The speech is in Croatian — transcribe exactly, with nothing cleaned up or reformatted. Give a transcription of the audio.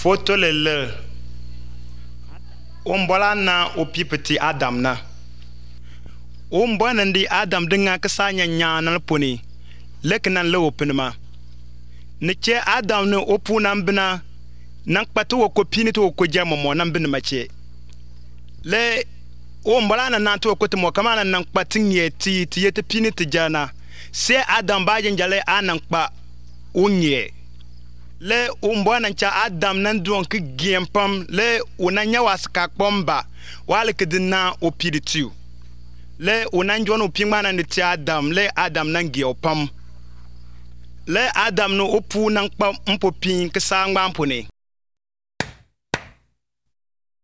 Foto le le. Ombola na opipeti Adam na. Ombona ndi Adam dinga kasanya nyana poni. Leknan le openma. Neche Adam ne opuna mbina. Nang patu wo kopini to ko jamo mo nan bin mache. Le ombola na nanto ko te mo kamana nang patin yeti ti yeti pini ti jana. Se Adam ba jale anang pa unye. Le umbwana cha Adam nan duon ki giempam le unanya waska pomba wale kedina opiritu le unanjwan opingmana ni ti Adam le Adam nan giopam le Adam no opu nan pa mpopin kisa ngbampone